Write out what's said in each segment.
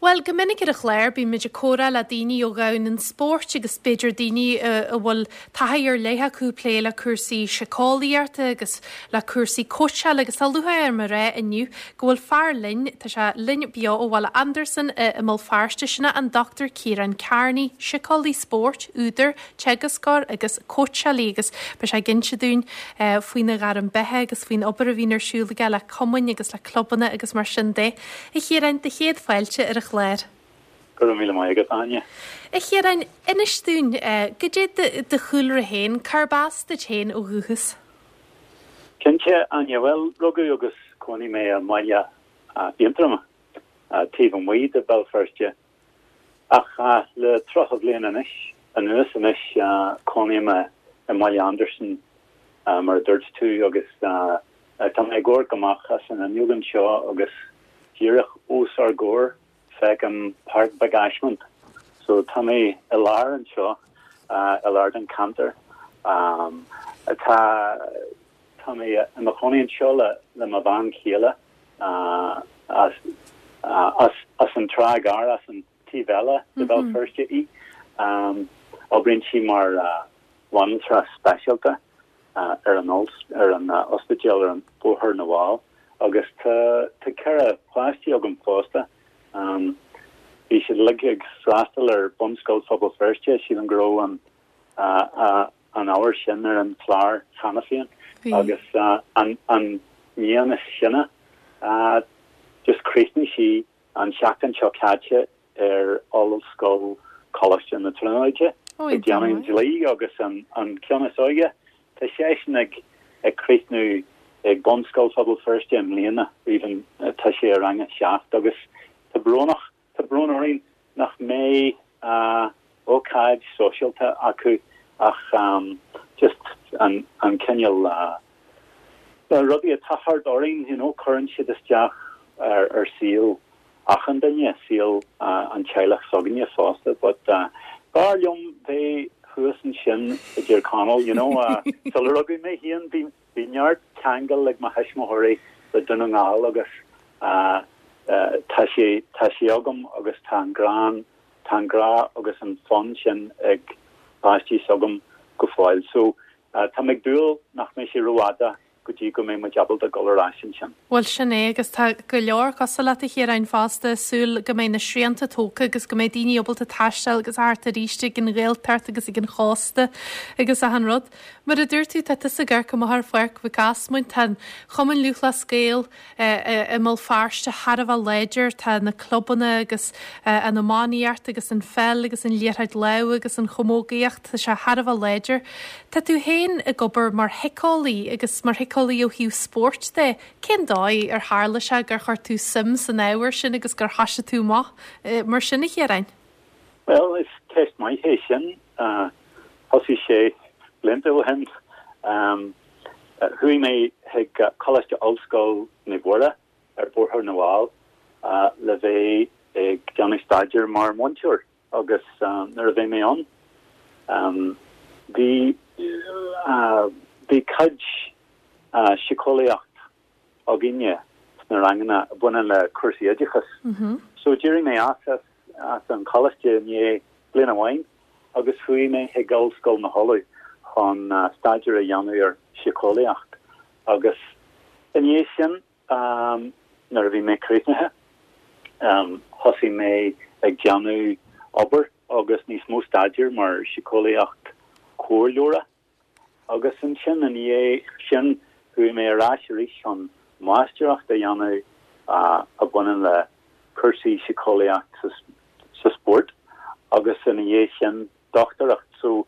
Bhuel, go minic ar an chlár bíonn muid ag comhrá le daoine ó dhomhan an spóirt agus b'fhéidir daoine a bhfuil taithí ar leith acu ag plé le cúrsaí síceolaíochta agus le cúrsaí cóitseála agus tá lúcháir orm a rá inniu go bhfuil fear linn, tá sé linn beo ó Bhaile Andarsan i mBéal Feirste, sin é an Dr Ciarán Carney, síceolaí spóirt, údar, teagascóir agus cóitseálaí agus beidh sé ag inse dúinn faoina ghairm beatha agus faoin obair a bhíonn ar siúl aige le cumainn agus le clubanna agus mar sin de. A Chiaráin, do chéad fáilte ar an chlár. Go raibh míle maith agat, Áine. A Chiaráin, inis dúinn, goidé do chúlra féin, cárb as duit féin ó dhúchas? Cinnte, Áine. Bhuel, rugadh agus chónaigh mé i mbaile Aontroma, taobh amuigh de Bhéal Feirste. Ach le 30 bhliain anois anuas anois cónaím i mBaile Andarsan mar a dúirt tú agus tá mé ag amharc amach as an fhuinneog anseo agus díreach os ár gcomhair feicim Páirc Mhic Ásmaint. So tá mé i lár anseo, i lár den cheantar. Tá Tá mé i mo chónaí anseo le mo bhean chéile as as an Trá Ghearr, as an taobh eile de Bhéal Feirste í. Oibríonn sí mar bhanaltra speisialta ar an ar an ospidéal ar an Bóthar na bhFál agus tá tá 4 páistí agam fosta. Bhí siad uilig ag freastal ar Bunscoil Phobal Feirste, sílim go raibh an an ábhar sin ar an chlár cheana féin agus an iníon is sine, just chríochnaigh sí an tseachtain seo caite ar Ollscoil Choláiste na Tríonóide ag déanamh an dlí agus an ceann is óige, tá seisean ag críochnú ag Bunscoil Phobal Feirste i mbliana, even tá sé i rang a 7 agus tá brónach Tá brón orainn nach mbeidh ócáid sóisialta acu ach just an cineál rudaí atá thart orainn, you know, cuireann siad isteach ar saol achan duine, saol an teaghlach s'againne fosta but b'fhearr liom bheith thuas ansin i dTír Chonaill, you know, sular rugadh mé féin bhí Bhí neart ceangal ag mo thuismitheoirí le Dún na nGall agus tá sé, tá sé agam agus tá an grán, tá an grá agus an fonn sin ag páistí s'agam go fóill. So tá mé ag dúil nach mbeidh sé rófhada go dtí go mbeidh muid ábalta dul ar ais ansin. Bhuel, sin é, agus tá go leor cosúil leat, a Chiaráin, fosta, ag súil go mbeidh na srianta tógtha agus go mbeidh daoine ábalta taisteal agus a theacht arís ag an Ghaeltacht agus ag an chósta agus achan rud. Mar a dúirt tú, tá tusa ag amharc amach ar Pháirc Mhic Ásmaint. Tá an Chumann Lúthchleas Gael i mBéal Feirste thar a bheith láidir. Tá na clubanna agus an iománaíocht agus an pheil agus an liathróid láimhe agus an chamógaíocht, tá sé thar a bheith láidir. Tá tú féin ag obair mar shíceolaí agus mar shíceolaí ó thaobh spóirt de. Cén dóigh ar tharla sé gur chuir tú suim san ábhar sin agus gur thoisigh tú amach mar sin, a Chiaráin? Bhuel, is ceist maith é sin. Thosaigh sé blianta ó shin. Chuaigh mé chuig Coláiste Ollscoil Naomh Mhuire ar Bhóthar na bhFál le bheith ag déanamh staidéir mar mhúinteoir agus nuair a bhí mé ann bhí bhí cuid síceolaíocht againne sna ranganna a bhaineann le cúrsaí oideachais. So d'éirigh mé as as an choláiste i ndiaidh bliain amháin agus chuaigh mé chuig Ollscoil na hUladh chun staidéar a dhéanamh ar shíceolaíocht agus i ndiaidh sin nuair a bhí mé críochnaithe thosaigh mé ag déanamh obair agus níos mó staidéir mar síceolaíocht comhairleora. Agus ansin i ndiaidh sin chuaigh mé ar ais arís chun máistreacht a dhéanamh a bhaineann le cúrsaí síceolaíocht sa spórt agus ina dhiaidh sin dochtúireacht. So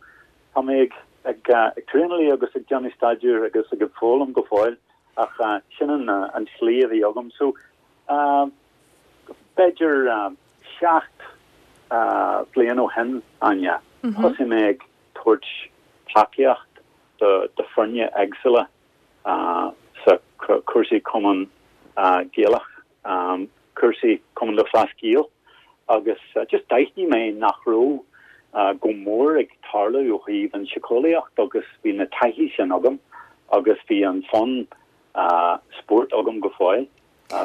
tá mé ag ag traenáil agus ag déanamh staidéir agus ag foghlaim go fóill ach sin an an tslí a bhí agam. So b'fhéidir 7 bliain ó shin, Áine, thosaigh mé ag tabhairt tacaíocht do foirne éagsúla sa cúrsaí Cumann Gaelach, cúrsaí Cumann Lúthchleas Gael agus just d'aithnigh mé nach raibh go mór ag tarlú ó thaobh an síceolaíocht agus bhí na taithí sin agam agus bhí an fonn spóirt agam go fóill,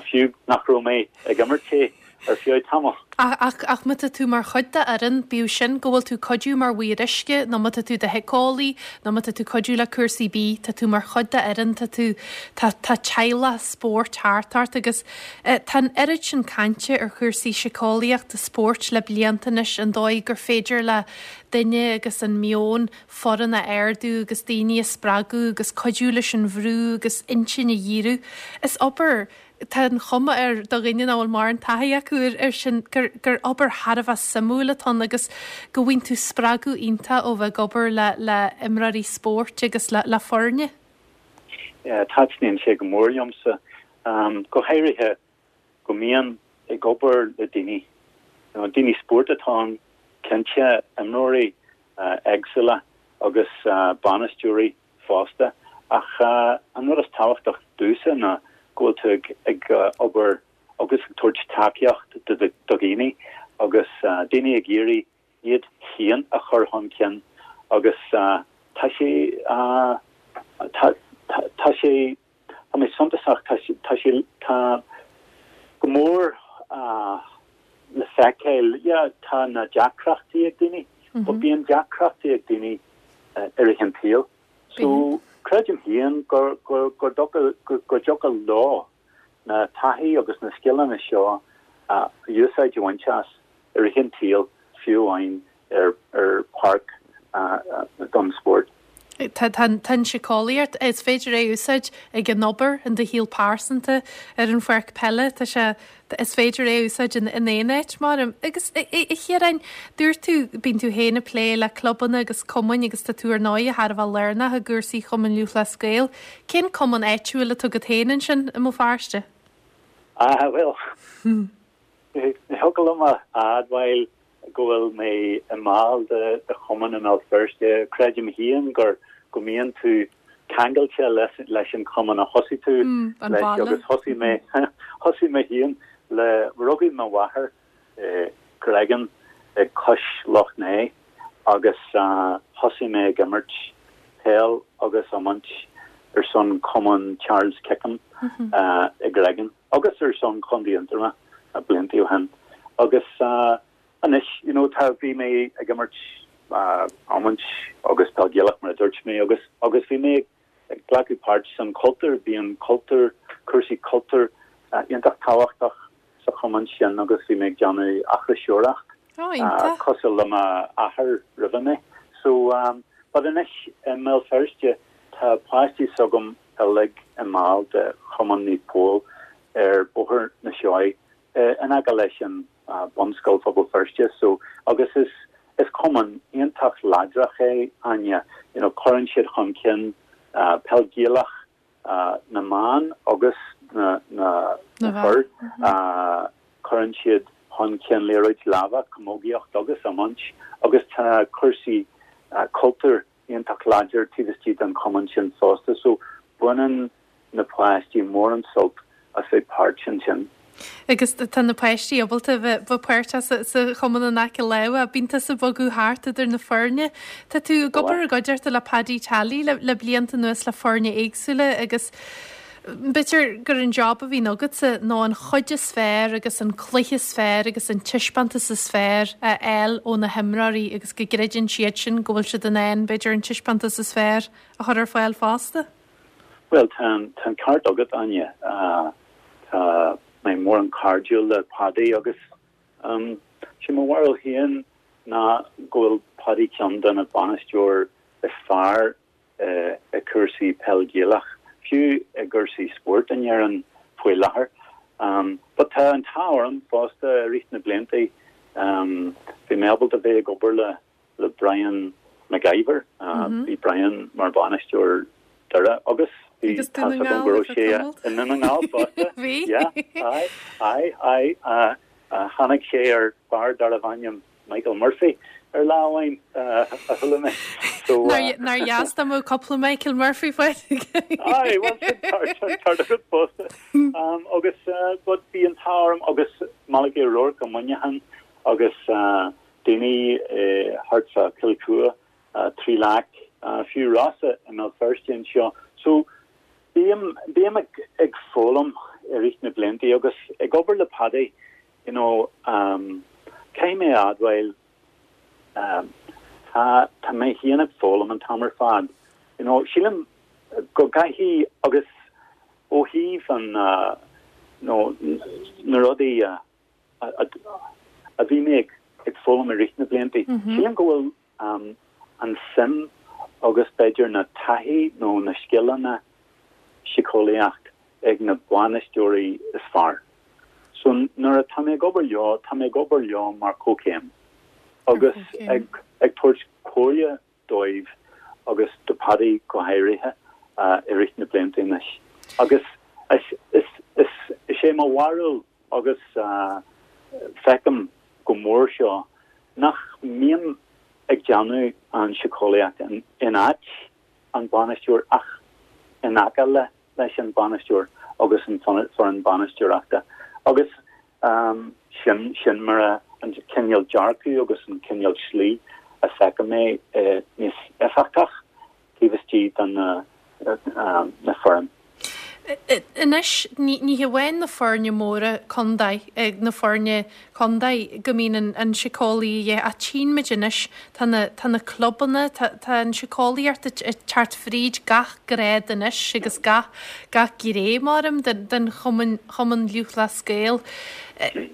fiú nach raibh mé ag imirt é. Ar feadh tamaill. Ach, ach má tá tú mar chuid de fhoireann, bíodh sin go bhfuil tú cuidiú mar mhaor uisce, nó má tá tú i do shíceolaí, nó má tá tú cuidiú le cúrsaí bídh, tá tú mar chuid de fhoireann, tá tú, tá, tá teaghlach spóirt thart ort agus eh, tá an oiread sin cainte ar chúrsaí síceolaíochta spóirt le blianta anois, an dóigh gur féidir le duine agus an meon foireann a ardú agus daoine a spreagadh agus cuidiú leis an bhrú agus intinn a dhíriú. Is obair Tá an chuma air, do dhuine nach bhfuil mórán taithí acu air sin, gur gur obair thar a bheith suimiúil atá ann agus go bhfaigheann tú spreagadh iontach ó bheith ag obair le le imreoirí spóirt agus le le foirne. Taitníonn sé go mór liomsa, go háirithe go mbíonn ag obair le daoine, daoine spóirt atá ann, cinnte, imreoirí éagsúla agus bainisteoirí fosta. Ach an rud is tábhachtach domhsa ná go bhfuil tú ag obair agus ag tabhairt tacaíocht do dhaoine agus daoine ag iarraidh iad féin a chur chun cinn agus tá sé, tá, tá sé, tá mé suntasach, tá sé, tá sé, tá go mór le feiceáil, yeah, tá na deacrachtaí ag daoine, but bíonn deacrachtaí ag daoine i rith an tsaoil. So, creidim féin gur, gur, gur dtiocfadh, go dtiocfadh leo na taithí agus na scileanna seo a úsáid a bhaint as i rith an tsaoil, fiú amháin ar, ar pháirc don spórt. Tá an tsíceolaíocht, is féidir é a úsáid ag an obair, in do shaol pearsanta, ar an pháirc peile, tá sé, is féidir é a úsáid in aon áit mar. Agus a Chiaráin, dúirt tú, bíonn tú féin ag plé le clubanna agus cumainn agus tá tú ar ndóigh thar a bheith lárnach i gcúrsaí Chumann Lúthchleas Gael. Cén cumann áitiúil atá agat féin ansin i mBéal Feirste? Ah, bhuel, ní thiocfadh liom a admháil go bhfuil mé i mball de chumann i mBéal Feirste. Creidim féin gur go mbíonn tú ceangailte leis an chumann a thosaigh tú leis agus thosaigh mé thosaigh mé féin le rugadh mo mháthair i gCreggan ag cois Loch Né agus thosaigh mé ag imirt peil agus iomáint ar son Cumann Charles Kickham i gCreggan. agus ar son Chontae Aontroma blianta ó shin agus anois you know tá bhí mé ag imirt iomáint agus peil Ghaelach mar a dúirt mé agus agus bhí mé ag glacadh páirt san cultúr bíonn cultúr cúrsaí cultúr iontach tábhachtach sa chumann sin agus bhí mé ag déanamh aithriseoireacht cosúil le m'athair roimhe mé so but anois i mBéal Feirste tá páistí s'agam uilig i mball de Chumann Naomh Pól ar Bhóthar na Seoighe in aice leis an Bunscoil Phobal Feirste so agus is is cumann iontach láidreach é Áine you know cuireann siad chun cinn peil Gaelach na mban agus na na na fir cuireann siad chun cinn liathróid láimhe camógaíocht agus iomáint agus tá cúrsaí cultúir iontach láidir taobh istigh den chumann sin fosta so baineann na páistí mórán sult as bheith páirt ansin. Agus tá na páistí ábalta bheith bheith páirteach sa sa chumann in aice láimhe. Bíonn tusa ag bogadh thart idir na foirne. Tá tú ag obair i gcuideachta le Paddy Tally le le blianta anuas le foirne éagsúla agus B'fhéidir gur an job a bhíonn agatsa ná an chuid is fearr agus an cluiche is fearr agus an taispeántas is fearr a fháil ó na himreoirí agus go gcreideann siad sin go bhfuil siad in ann, b'fhéidir, an taispeántas is fearr a chur ar fáil fosta. Bhuel, tá an ceart agat, Áine. Tá mé mórán cairdiúil le Paddy agus sé mo bharúil féin ná go bhfuil Paddy ceann de na bainisteoir is fearr i gcúrsaí peil Ghaelach, fiú i gcúrsaí spóirt in Éirinn faoi láthair. But tá an t-ádh orm fosta i rith na blianta bhí mé ábalta bheith ag obair le le Brian McIver. Bhí Brian mar bhainisteoir Doire agus bhí tá 's agam go raibh sé i nDún na nGall fosta. Bhí. Yeah, aye, aye, aye. Tháinig sé ar fear darbh ainm Michael Murphy ar lá amháin a chuala mé. So Nár dheas dá mbeadh cúpla Michael Murphy faighte. Aye, well sin ceart agat fosta. Agus but bhí an t-ádh orm agus Malachy O'Rourke i Muineachán agus daoine thart fá Chill Chua, Trí Leac, fiú Rossa i mBéal Feirste anseo. So bím bím ag foghlaim i rith na blianta agus ag obair le Paddy. You know, caithfidh mé a admháil, tá, tá mé féin ag foghlaim an t-am ar fad. You know, sílim go gcaithfidh, agus ó thaobh an, you know, na rudaí a, a bhí mé ag foghlaim i rith na blianta, sílim go bhfuil an suim agus b'fhéidir na taithí nó na scileanna síceolaíocht ag na bainisteoirí is fearr. So nuair atá mé ag obair leo, tá mé ag obair leo mar comhchéim agus ag ag tabhairt comhairle dóibh agus do Paddy go háirithe i rith na blianta anois. Agus is is is is é mo bharúil agus feicim go mór seo nach mbím ag déanamh an síceolaíocht in áit an bainisteoir ach in aice le leis an bainisteoir agus an foireann bainisteoireachta agus sin sin mar a an cineál dearcadh agus an cineál slí a feicim é níos éifeachtach taobh istigh den na foireann. Anois, ní hamháin na foirne móra contae, na foirne contae go mbíonn an síceolaí a dhíth, ach tchíonn muid anois, tá na, tá na clubanna, tá, tá an síceolaíocht ag teacht fríd gach grád anois agus gach, gach gné, maram, den, den Chumann, Chumann Lúthchleas Gael.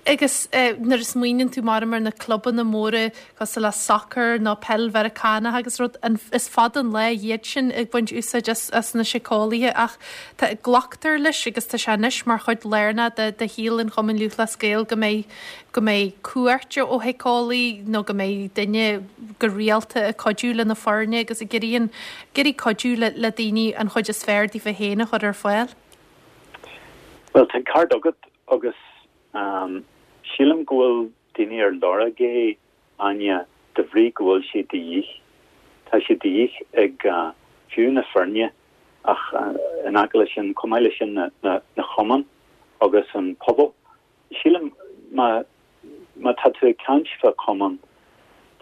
Agus nuair a smaoineann tú, maram, ar na clubanna móra, cosúil le sacar nó peil Mheiriceánach agus rud, is fada an lá iad sin ag baint úsáid as na síceolaithe ach tá, glactar leis agus tá sé anois mar chuid lárnach de de shaol an Chumainn Lúthchleas Gael go mbeidh, go mbeidh cuairt ó shíceolaí nó go mbeidh duine go rialta ag cuidiú le na foirne agus ag iarraidh an, ag iarraidh cuidiú le le daoine an chuid is fearr daofa féin a chur ar fáil. Bhuel, tá an ceart agat agus sílim go bhfuil daoine ar lorg é, Áine, de bhrí go bhfuil sé de dhíth. Tá sé de dhíth ag fiú na foirne ach in aice leis sin, chomh maith leis sin na na chumainn agus an pobal. Sílim má má tá tú ag caint fá chumann,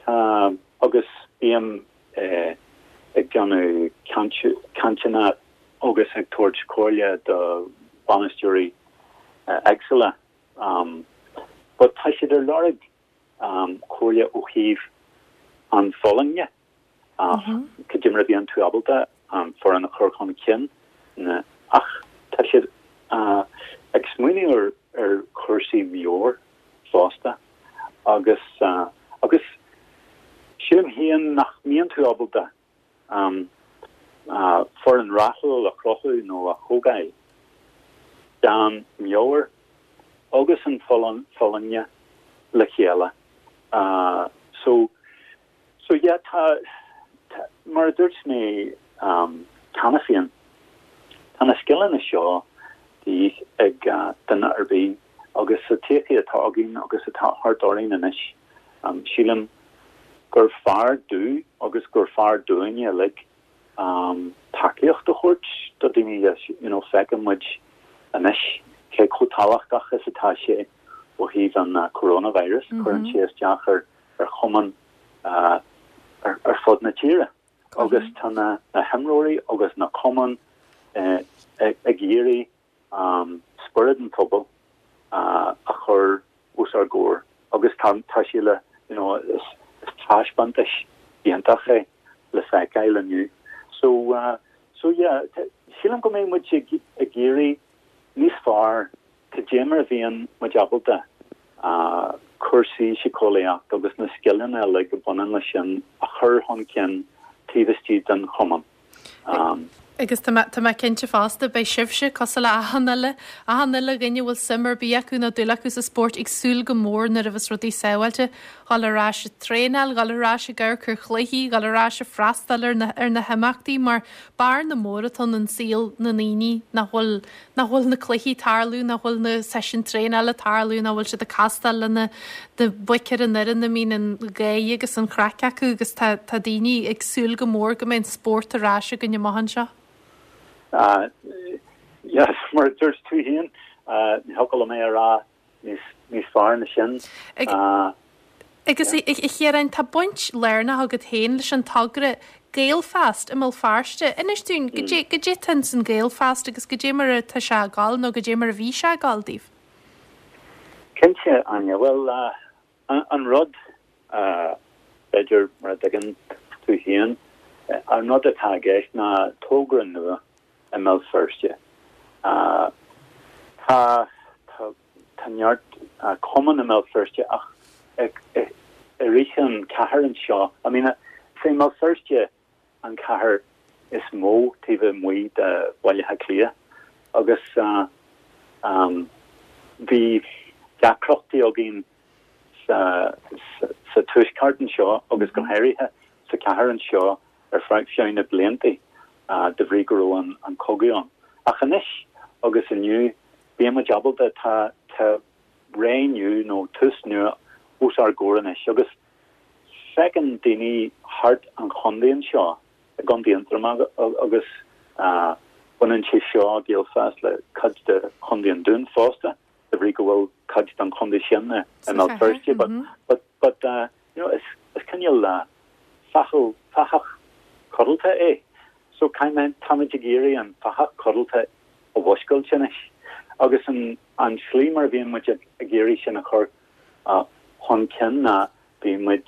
tá agus bím ag déanamh cainteanna agus ag tabhairt comhairle do bhainisteoirí éagsúla But tá siad ar lorg comhairle ó thaobh an folláine, cad é mar a bhíonn tú ábalta an foireann a chur chun cinn, ach tá siad ag smaoineamh ar chúrsaí meabhair fosta agus agus sílim féin nach mbíonn tú ábalta foireann rathúil a chruthú nó a thógáil gan meabhair agus an folláine le chéile. So, so yeah, tá, tá, mar a dúirt mé cheana féin, tá na scileanna seo de dhíth ag duine ar bith agus sa tsochaí atá againn agus atá thart orainn anois, Sílim gur fearr domh agus gur fearr dúinne uilig tacaíocht a thabhairt do daoine. You know, feiceann muid anois cé chomh tábhachtach is atá sé ó thaobh an coronavirus, cuireann sé isteach ar ar chumainn ar fud na tíre agus tá na himreoirí agus na cumainn ag iarraidh spiorad an phobail a chur os ár gcomhair agus tá tá sé le you know is taispeántas iontach é le feiceáil inniu. So so yeah sílim go mbeidh muid ag ag iarraidh níos fearr cad é mar a bhíonn muid ábalta cúrsaí síceolaíocht agus na scileanna uilig a bhaineann leis sin a chur chun cinn taobh istigh den chumann. Agus tá mé, tá mé cinnte fosta, beidh sibhse, cosúil le achan uile, achan uile dhuine a bhfuil suim ar bith acu nó dúil acu sa spórt, ag súil go mór nuair a bheas rudaí sábháilte, dhul ar ais ag traenáil, dhul ar ais ag amharc ar chluichí, dhul ar ais ag freastal ar na, ar na himeachtaí mar bearna mór atá ann i saol na ndaoine nach bhfuil, nach bhfuil na cluichí ag tarlú, nach bhfuil na seisiúin traenála ag tarlú, nach bhfuil siad ag castáil le na boic ar an fhoireann a mbíonn an gháir agus an chraic acu agus tá tá daoine ag súil go mór go mbeidh an spórt ar ais againn amach anseo. Yes, mar a dúirt tú féin, ní thiocfadh liom é a rá níos fearr ná sin. Agus a Chiaráin, tá baint lárnach agat féin leis an togra Gaelfast i mBéal Feirste. Inis dúinn, goidé atá ins an Gaelfast agus goidé mar atá sé ag dul nó goidé mar a bhí sé ag dul daoibh? Cinnte, Áine. Bhuel, an rud, b'fhéidir, mar a dtuigeann tú féin, an rud atá i gceist ná togra nua i mBéal Feirste. Tá, tá neart cumann i mBéal Feirste ach i rith an chathair anseo, I mean, is é Béal Feirste an chathair is mó taobh amuigh de Bhaile Átha Cliath agus bhí deacrachtaí againn sa tuaisceart anseo agus go háirithe sa chathair anseo ar feadh na blianta de bhrí go raibh an cogadh ann. Ach anois agus inniu bíonn muid ábalta, tá ré nua nó tús nua os ár gcomhair anois agus Feiceann daoine thart an chontae anseo, i gContae Aontroma agus baineann sé seo, Gaelfast, le cuid de Chontae an Dúin fosta, de bhrí go bhfuil cuid den chontae sin i mBéal Feirste. But, but, but, you know, is, is cineál fathach, fathach codlata é. So caithfidh, táimid ag iarraidh an fathach codlata a mhúscailt anois. Agus an, an slí mar a bhíonn muid ag, ag iarraidh sin a chur chun cinn ná bíonn muid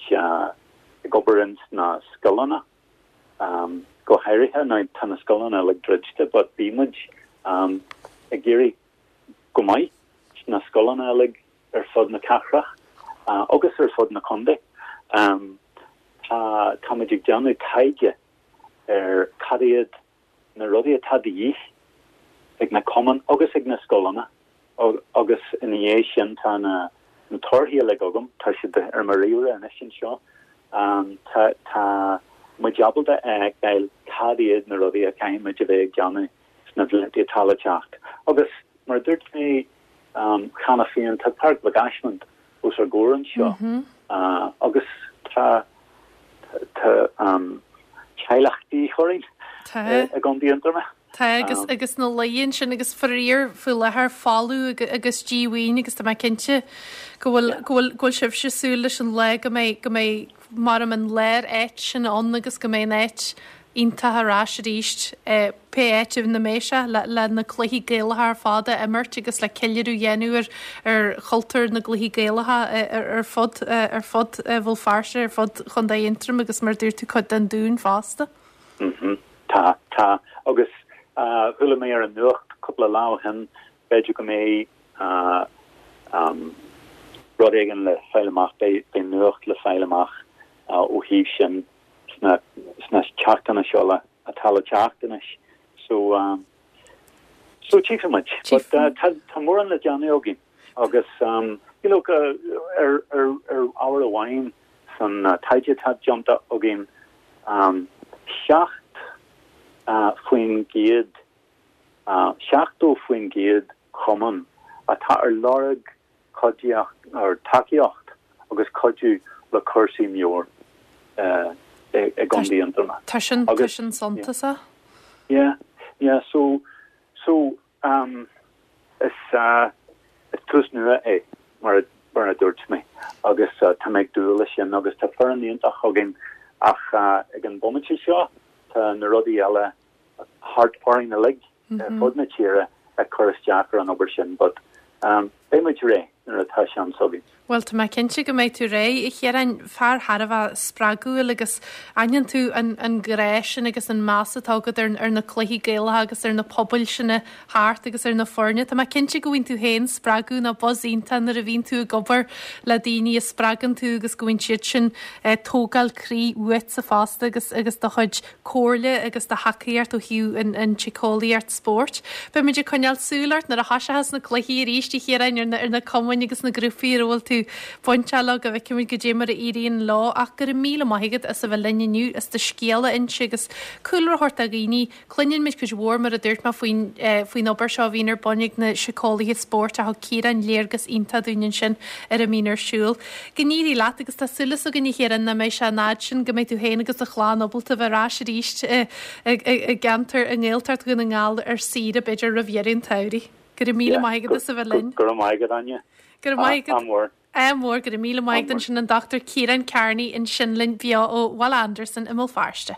ag obair ins na scoileanna go háirithe. Now tá na scoileanna uilig druidte but bíonn muid ag iarraidh go maith sna scoileanna uilig ar fud na cathrach agus ar fud na contae. Tá tá muid ag déanamh taighde ar cad iad na rudaí atá de dhíth ag na cumainn agus ag na scoileanna agus ina dhiaidh sin tá na torthaí uilig agam, tá siad ar mo ríomhaire anois anseo. Tá tá muid ábalta a fheiceáil cad iad na rudaí a chaithfidh muid a bheith ag déanamh sna blianta atá le teacht. Agus mar a dúirt mé cheana féin, tá Páirc Mhic Ásmaint os ár gcomhair anseo agus tá tá teaghlach de dhíth orainn i gContae Aontroma. Tá agus agus na laetha ansin agus faraor faoi láthair folamh agus díomhaoin agus tá mé cinnte go bhfuil go bhfuil go bhfuil sibhse ag súil leis an lá go mbeidh go mbeidh mar an lár áit sin ann agus go mbeidh an áit iontach ar ais arís, pé áit ina mbeidh sé, le na cluichí Gaelacha ar fad a imirt agus le ceiliúradh a dhéanamh ar ar chultúr na gcluichí Gaelacha ar fud ar fud Bhéal Feirste, ar fud Chontae Aontroim agus mar a dúirt tú cuid den Dún fosta. Tá, tá. Agus chuala mé ar an nuacht cúpla lá ó shin, b'fhéidir go mbeidh rud éigin le fáil amach, beidh nuacht le fáil amach ó thaobh sin sna sna seachtainí seo le atá le teacht anois. So so tchífidh muid. But tá tá mórán le déanamh againn agus you know ar ar ar ábhar amháin san taighde atá déanta againn 7% 70% chumann atá ar lorg cuidíocht or tacaíocht agus cuidiú le cúrsaí meabhair i gContae Aontroma. Tá sin, tá sin suntasach. Yeah, yeah, so, so um, is, uh, is tús nua é mar a, mar a dúirt mé agus uh, tá mé ag dúil leis sin agus tá foireann iontach againn ach uh, ag an bomaite seo tá na rudaí eile thart orainn uilig ar fud na tíre ag cur isteach ar an obair sin but beidh muid réidh nuair atá seans againn. Bhuel, tá mé cinnte go mbeidh tú réidh, a Chiaráin, fear thar a bheith spreagúil agus aithníonn tú an an grá sin agus an meas atá agat ar ar na cluichí Gaelacha agus ar na pobail sin thart agus ar na foirne. Tá mé cinnte go bhfaigheann tú féin spreagadh nó buzz iontach nuair a bhíonn tú ag obair le daoine a spreagann tú agus go bhfaigheann siad sin tógáil croí uaitse fosta agus agus do chuid comhairle agus do thacaíocht ó thaobh an tsíceolaíocht spóirt. Beidh muid ag coinneáil súil ort nuair a thoiseochas na cluichí arís, a Chiaráin, ar na ar na cumainn agus na grúpaí ar a bhfuil tú bainteach leo go bhfeicfidh muid goidé mar a éiríonn leo. Ach go raibh míle maith agat as a bheith linn inniu, as do scéal a inse agus cúlra a thabhairt do dhaoine. Cluineann muid cuid mhór, mar a dúirt mé, faoin faoin obair seo a bhíonn ar bun ag na síceolaithe spóirt ach thug Ciarán léargas iontach dúinn ansin ar a mbíonn ar siúl. Go n-éirí leat agus tá súil againn a Chiaráin nach mbeidh sé an fhad sin go mbeidh tú féin agus do chlann ábalta bheith ar ais arís i gceantar i nGaeltacht Dhún na nGall ar saoire b'fhéidir roimh dheireadh an tsamhraidh. Go raibh míle maith agat as a bheith linn. Go raibh maith agat Áine. Go raibh maith agat. Ádh mór. Ádh mór. Go raibh míle maith agat ansin an Dr Ciarán Carney ansin linn beo ó Bhaile Andarsan i mBéal Feirste.